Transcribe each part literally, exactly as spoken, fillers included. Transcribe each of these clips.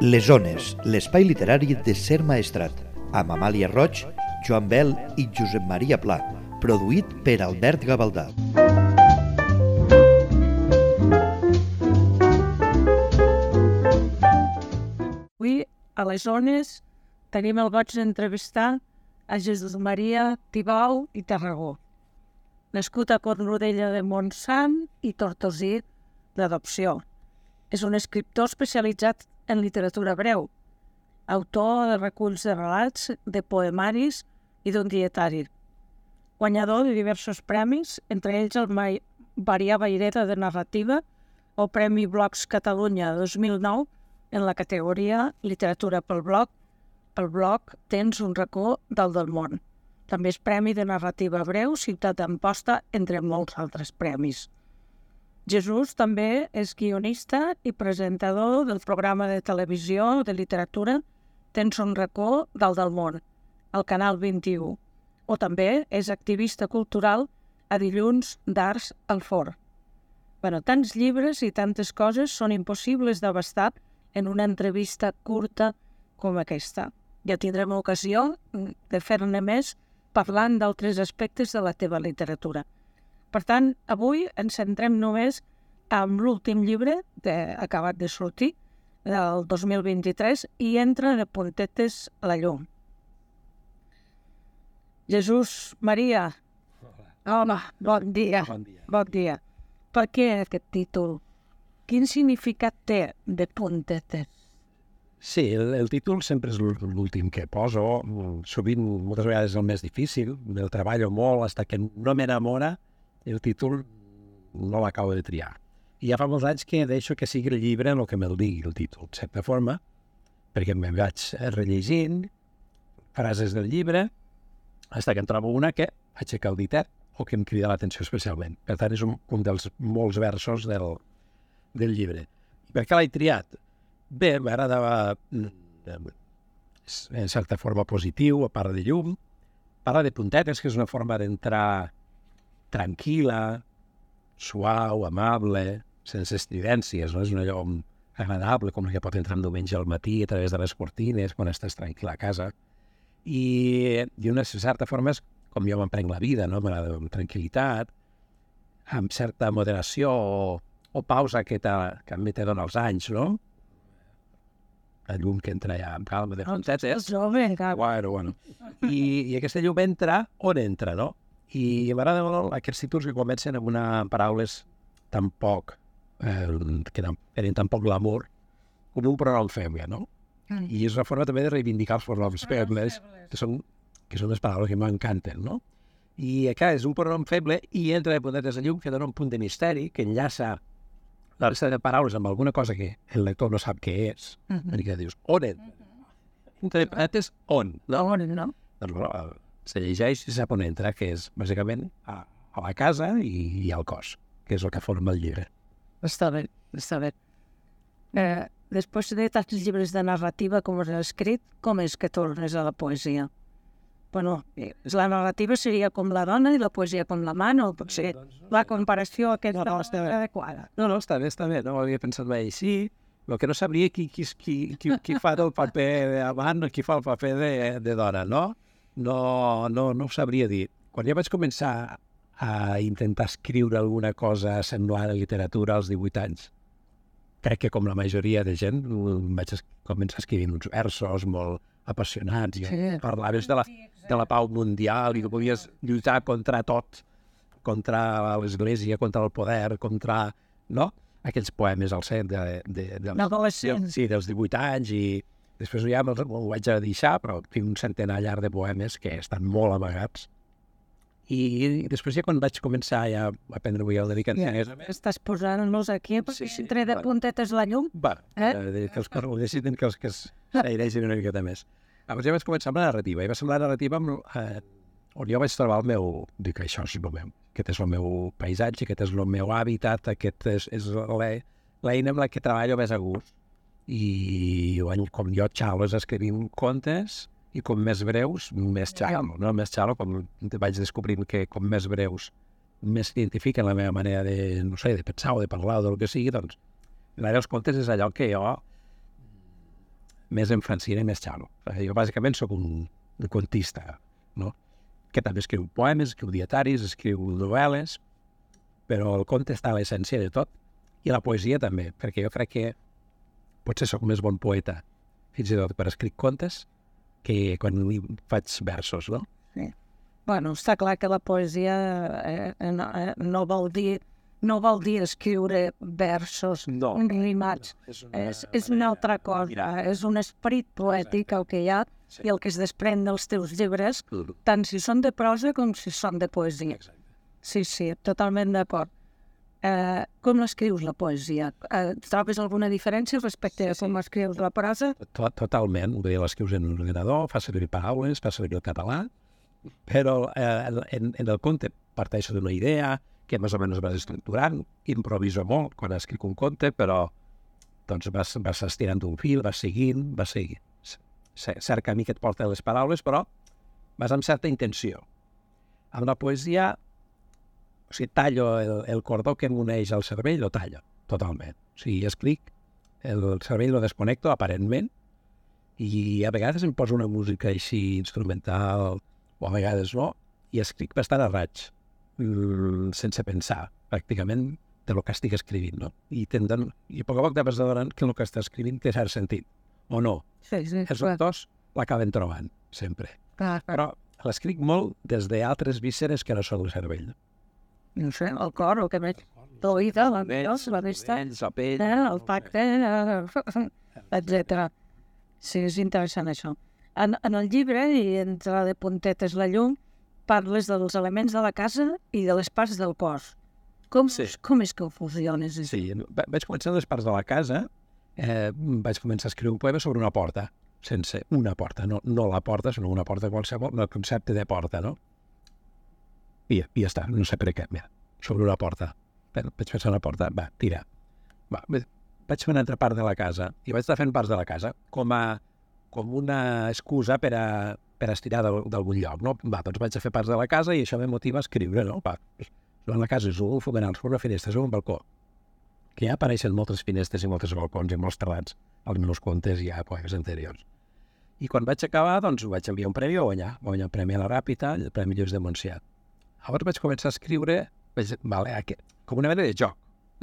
Les Ones, l'espai literari de Ser Maestrat, amb Amàlia Roig, Joan Bel i Josep Maria Pla, produït per Albert Gavaldà. Avui, a les Ones, tenim el goig d'entrevistar a Jesús Maria Tibau i Tarragó, nascut a Cornudella de Montsant i Tortosí d'adopció. És un escriptor especialitzat en literatura breu, autor de reculls de relats, de poemaris i d'un dietari. Guanyador de diversos premis, entre ells el Marià Vayreda de narrativa o Premi Blogs Catalunya dos mil nou en la categoria Literatura pel blog. Pel blog Tens un racó dalt del món. També és Premi de narrativa breu Ciutat d'Amposta, entre molts altres premis. Jesús també és guionista i presentador del programa de televisió de literatura Tens un racó dalt del món, al Canal vint-i-u, o també és activista cultural a Dilluns d'Arts al Forn. Bueno, tants llibres i tantes coses són impossibles d'abastar en una entrevista curta com aquesta. Ja tindrem ocasió de fer-ne més parlant d'altres aspectes de la teva literatura. Per tant, avui ens centrem només en l'últim llibre que ha acabat de sortir, del dos mil vint-i-tres, i entra de puntetes a la llum. Jesús Maria, home, bon dia. Bon dia. Bon dia. Per què aquest títol? Quin significat té de puntetes? Sí, el, el títol sempre és l'últim que poso. Sovint, moltes vegades és el més difícil. El treballo molt, fins que no m'enamora, el títol no l'acabo de triar. I ja fa molts anys que deixo que sigui el llibre el que me'l digui, el títol, de certa forma, perquè me'n vaig rellegint frases del llibre, fins que en trobo una que aixeca el ditet o que em crida l'atenció especialment. Per tant, és un, un dels molts versos del, del llibre. I per què l'he triat? Bé, m'agradava, en certa forma, positiu, a part de llum. Parla de puntetes, que és una forma d'entrar tranquil·la, suau, amable, sense estridències, no? És una llum agradable, com la que pot entrar un diumenge al matí a través de les cortines, quan estàs tranquil a casa. I d'una certa forma és com jo m'emprenc la vida, no? M'agrada amb tranquil·litat, amb certa moderació o, o pausa que, que a mi te dona els anys, no? La llum que entra ja amb calma de puntetes. Bueno, bueno. I, I aquesta llum entra on entra, no? I m'agrada molt aquests títols que comencen amb una paraules tan poc, eh, que tenen tan poc glamour, com un pronom feble, no? Mm. I és una forma també de reivindicar els pronoms febles, que són, que són les paraules que m'encanten, no? I acá és un pronom feble i entra de puntetes de llum que dona un punt de misteri, que enllaça la resta de paraules amb alguna cosa que el lector no sap què és. Mm-hmm. Perquè dius, on entra? Entre puntetes, on? No? On, no? Doncs, bueno, se llegeix i sap on entra, que és, bàsicament, a, a la casa i, i al cos, que és el que forma el llibre. Està bé, està bé. Eh, després de tants llibres de narrativa com has escrit, com és que tornes a la poesia? Bueno, la narrativa seria com la dona i la poesia com la mà, no? Potser la comparació aquesta no, no, està adequada. No, no, està bé, està bé, no ho havia pensat mai així. El que no sabria qui, qui, qui, qui, qui fa el paper d'amant o qui fa el paper de, de dona, no? No, no, no ho sabria dir. Quan jo vaig començar a intentar escriure alguna cosa semblant a literatura als divuit anys, crec que com la majoria de gent vaig començar escrivint uns versos molt apassionats. Sí. Parlaves de la, de la pau mundial i que podies lluitar contra tot, contra l'església, contra el poder, contra, no? Aquells poemes al cent de, de, de, de, sí, dels divuit anys, i després ja me'l vaig a deixar, però tinc un centenar llarg de poemes que estan molt amagats. I, i després ja quan vaig començar ja a aprendre avui el dedicat ja, estàs posant-los aquí perquè sí, sí, entre de puntetes la llum? Va, eh? eh que els que necessiten que els que s'airegin una miqueta més. Llavors ja vaig començar amb la narrativa, i va ser la narrativa amb, eh, on jo vaig trobar el meu, dic, això és el meu, aquest és el meu paisatge, aquest és el meu hàbitat, aquest és, és l'eina amb la que treballo més a gust. I com jo xalo és escrivint contes, i com més breus, més xalo, no? Més xalo, com vaig descobrint que com més breus més identifiquen la meva manera de, no sé, de pensar o de parlar o del que sigui, doncs, els contes és allò que jo més en francina i més xalo. Jo bàsicament sóc un, un contista, no? Que també escriu poemes, escriu dietaris, escriu novel·les, però el conte està a l'essència de tot, i la poesia també, perquè jo crec que potser sóc més bon poeta, fins i tot per escriure contes, que quan faig versos, no? Sí. Bueno, està clar que la poesia eh, no, eh, no vol dir no vol dir escriure versos No. rimats. No, és una és, és una altra cosa. Mira. És un esperit poètic el que hi ha Sí. i el que es desprèn dels teus llibres, Mm. tant si són de prosa com si són de poesia. Exacte. Sí, sí, totalment d'acord. Eh, com escrius la poesia? Eh, trobes alguna diferència respecte a com escrius la prosa? Tot, totalment. Vull dir, l'escrius en un ordenador, fa servir paraules, fa servir el català, però eh, en, en el conte parteixo d'una idea que més o menys vas estructurant, improviso molt quan escric un conte, però doncs vas, vas estirant un fil, vas seguint, vas seguint. Cert camí que et porta les paraules, però vas amb certa intenció. Amb la poesia, o sigui, tallo el, el cordó que m'uneix al cervell, lo tallo, totalment. O sigui, escric, el cervell lo desconnecto, aparentment, i a vegades em poso una música així instrumental, o a vegades no, i escric bastant a raig, sense pensar, pràcticament, de lo que estic escrivint, no? I, tenden, i a poc a poc te vas adonant que el que estàs escrivint té cert sentit, o no. Sí, sí. Els lectors l'acaben trobant, sempre. Clar, clar. Però l'escric molt des d'altres vísceres que no són el cervell. No sé, el cor, el que veig, l'oïda, la veus, la vista, la pell, eh, el tacte, eh, etcètera. Sí, és interessant això. En, en el llibre, i entre de puntetes la llum, parles dels elements de la casa i de les parts del cos. Com, Sí. com és que ho fusiones? Sí, va- vaig començar les parts de la casa, eh, vaig començar a escriure un poema sobre una porta, sense una porta, no, no la porta, sinó una porta qualsevol, no el concepte de porta, no? I, i ja està, no sé per què, mira, sobre una porta. Vaig pensar una porta, va, tira. Va, vaig fer una altra part de la casa, i vaig estar fent parts de la casa, com a com una excusa per a, per a estirar d'algun lloc, no? Va, doncs vaig a fer parts de la casa i això me motiva a escriure, no? Va, en la casa és un fomenal, sobre una finestra, sobre un balcó, que ja apareixen moltes finestres i molts balcons i molts terrats als meus contes i a poemes anteriors. I quan vaig acabar, doncs ho vaig enviar un premi a guanyar, va guanyar el Premi a la Ràpita, el Premi Lluís de Montsià. Llavors vaig començar a escriure, vaig, vale, aquest, com una mena de joc,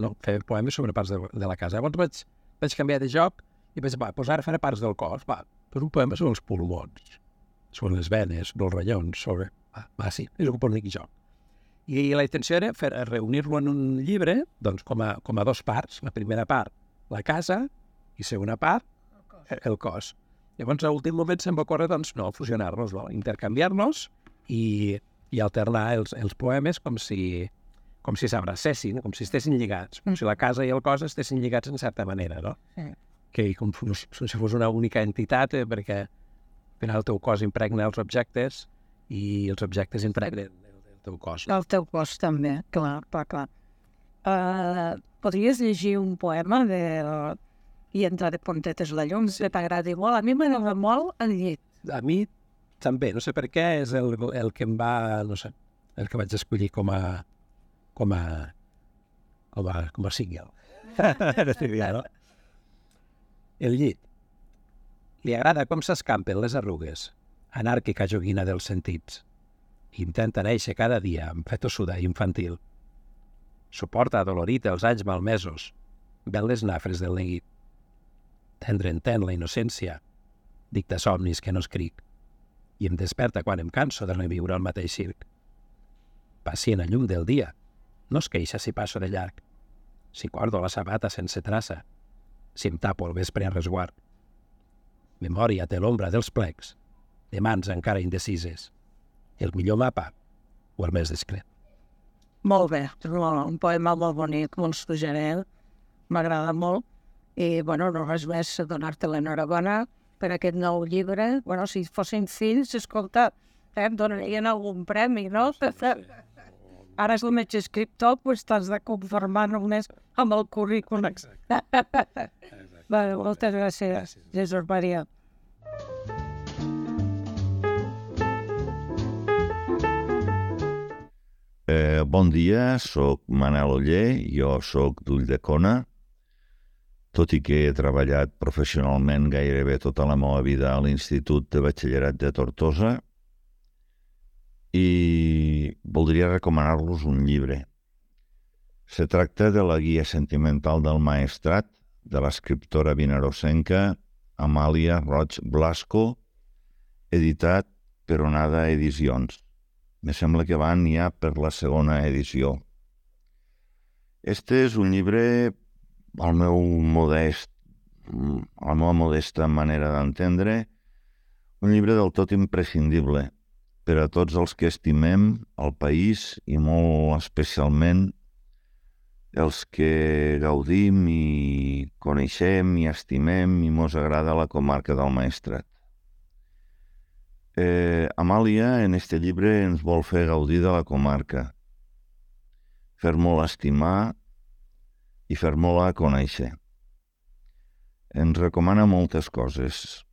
no? Fer poemes sobre parts de, de la casa. Llavors vaig, vaig canviar de joc i vaig dir, va, doncs ara faré parts del cos, va, doncs un poema sobre els pulmons, sobre les venes, sobre els ronyons, sobre... Va, va sí, és un bonic joc. I la intenció era fer, reunir-lo en un llibre, doncs com a, com a dos parts. La primera part, la casa, i segona part, el cos. Llavors, a l'últim moment se'm va córrer, doncs, no, fusionar-los, no? Intercanviar-los i, i alternar els, els poemes com si com si s'abracessin, com si estessin lligats, com si la casa i el cos estessin lligats en certa manera, no? Sí. Que com si fos una única entitat, eh, perquè al final el teu cos impregna els objectes i els objectes impregnen el teu cos. El teu cos també, clar, clar, clar. Uh, podries llegir un poema de... i entrar de puntetes la llum, si t'agradi molt. A mi m'agrada molt el llit. A mi també, no sé per què, és el, el que em va, no sé, el que vaig escollir com a com a com a, com a single. No? El llit. Li agrada com s'escampen les arrugues, anàrquica joguina dels sentits. Intenta néixer cada dia amb fetossuda infantil. Suporta adolorit els anys malmesos, ven les nafres del neguit. Tendre entén la innocència, dicta somnis que no escric, i em desperta quan em canso de reviure el mateix circ. Pacient a llum del dia, no es queixa si passo de llarg, si guardo la sabata sense traça, si em tapo el vespre a resguard. Memòria té l'ombra dels plecs, de mans encara indecises, el millor mapa o el més discret. Molt bé, un poema molt bonic, molt suggerent, m'agrada molt. I, bueno, no res més donar-te l'enhorabona per aquest nou llibre. Bueno, si fossin fills, escolta, eh, em donarien algun premi, no? Ara és el metge escriptor, doncs t'has de conformar només amb el currículum. Bé, moltes gràcies, Jesús Maria. Eh, bon dia, soc Manel Oller, jo soc d'Ulldecona. tot i que he treballat professionalment gairebé tota la meva vida a l'Institut de Batxillerat de Tortosa, i voldria recomanar-los un llibre. Se tracta de la Guia sentimental del Maestrat, de l'escriptora vinarosenca Amàlia Roig Blasco, editat per Onada Edicions. Me sembla que van ja per la segona edició. Este és un llibre, al meu modest, a la meva modesta manera d'entendre, un llibre del tot imprescindible per a tots els que estimem el país i molt especialment els que gaudim i coneixem i estimem i mos agrada la comarca del Maestrat. Eh, Amàlia, en este llibre, ens vol fer gaudir de la comarca, fer-mo-la estimar i fer-mo-la conèixer. Ens recomana moltes coses,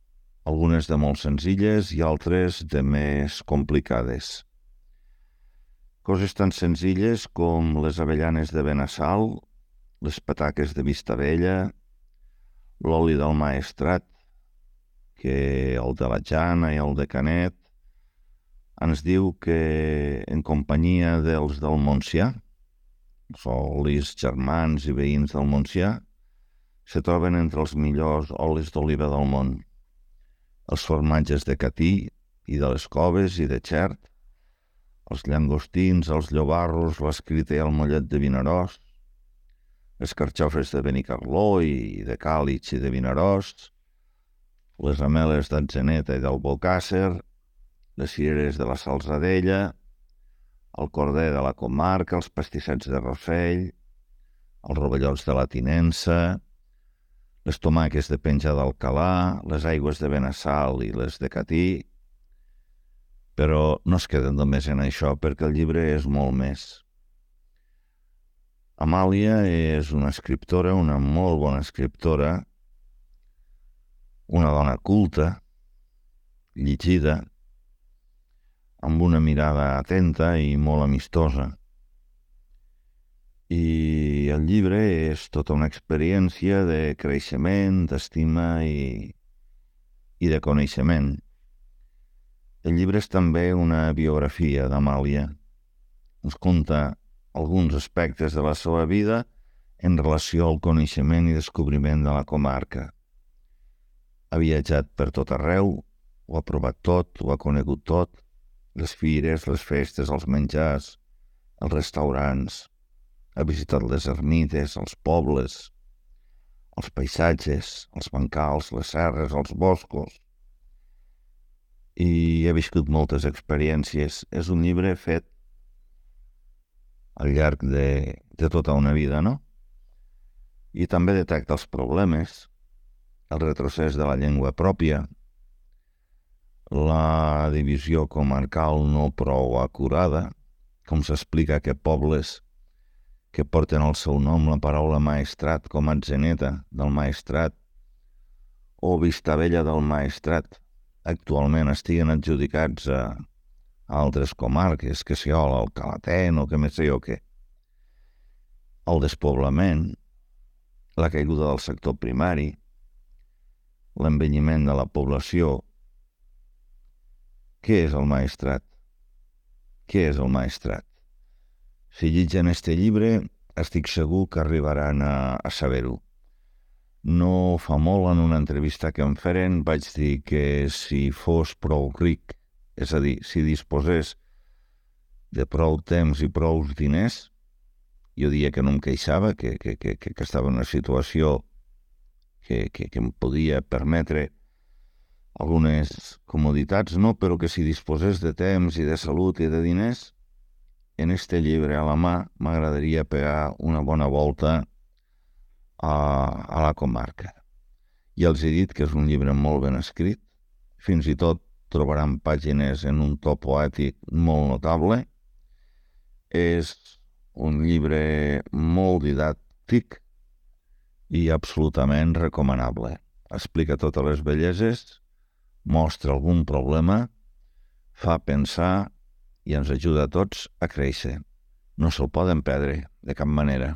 algunes de molt senzilles i altres de més complicades. Coses tan senzilles com les avellanes de Benassal, les pataques de Vistabella, l'oli del Maestrat, que el de la Jana i el de Canet ens diu que en companyia dels del Montsià, els olis germans i veïns del Montsià, se troben entre els millors olis d'oliva del món. Els formatges de Catí i de les Coves i de Xert, els llangostins, els llobarros, l'escrita i el mollet de Vinaròs, les carxofes de Benicarló i de Càlig i de Vinaròs, les ameles d'Atzeneta i d'Albocàsser, les cireres de la Salzadella, el corder de la comarca, els pastissets de Rossell, els rovellots de la Tinença, les tomàques de Penja d'Alcalà, les aigües de Benassal i les de Catí, però no es queden només en això perquè el llibre és molt més. Amàlia és una escriptora, una molt bona escriptora, una dona culta, llegida, amb una mirada atenta i molt amistosa. I el llibre és tota una experiència de creixement, d'estima i, i de coneixement. El llibre és també una biografia d'Amàlia. Ens conta alguns aspectes de la seva vida en relació al coneixement i descobriment de la comarca. Ha viatjat per tot arreu, ho ha provat tot, ho ha conegut tot, les fires, les festes, els menjars, els restaurants, ha visitat les ermites, els pobles, els paisatges, els bancals, les serres, els boscos, i ha viscut moltes experiències. És un llibre fet al llarg de, de tota una vida, no? I també detecta els problemes, el retrocés de la llengua pròpia, la divisió comarcal no prou acurada, com s'explica que pobles que porten al seu nom la paraula Maestrat, com Atzeneta del Maestrat o Vistabella del Maestrat, actualment estiguen adjudicats a, a altres comarques, que si el Alcalatén o que més sé jo què. El despoblament, la caiguda del sector primari, l'envelliment de la població. Què és el Maestrat? Què és el Maestrat? Si llegeixen este llibre, estic segur que arribaran a, a saber-ho. No fa molt, en una entrevista que em feren, vaig dir que si fos prou ric, és a dir, si disposés de prou temps i prou diners, jo diria que no em queixava, que, que, que, que estava en una situació que, que, que em podia permetre algunes comoditats, no, però que si disposés de temps i de salut i de diners, en este llibre a la mà m'agradaria pegar una bona volta a, a la comarca. Ja els he dit que és un llibre molt ben escrit, fins i tot trobaran pàgines en un to poètic molt notable. És un llibre molt didàctic i absolutament recomanable. Explica totes les belleses, mostra algun problema, fa pensar i ens ajuda a tots a créixer. No se'l poden perdre, de cap manera.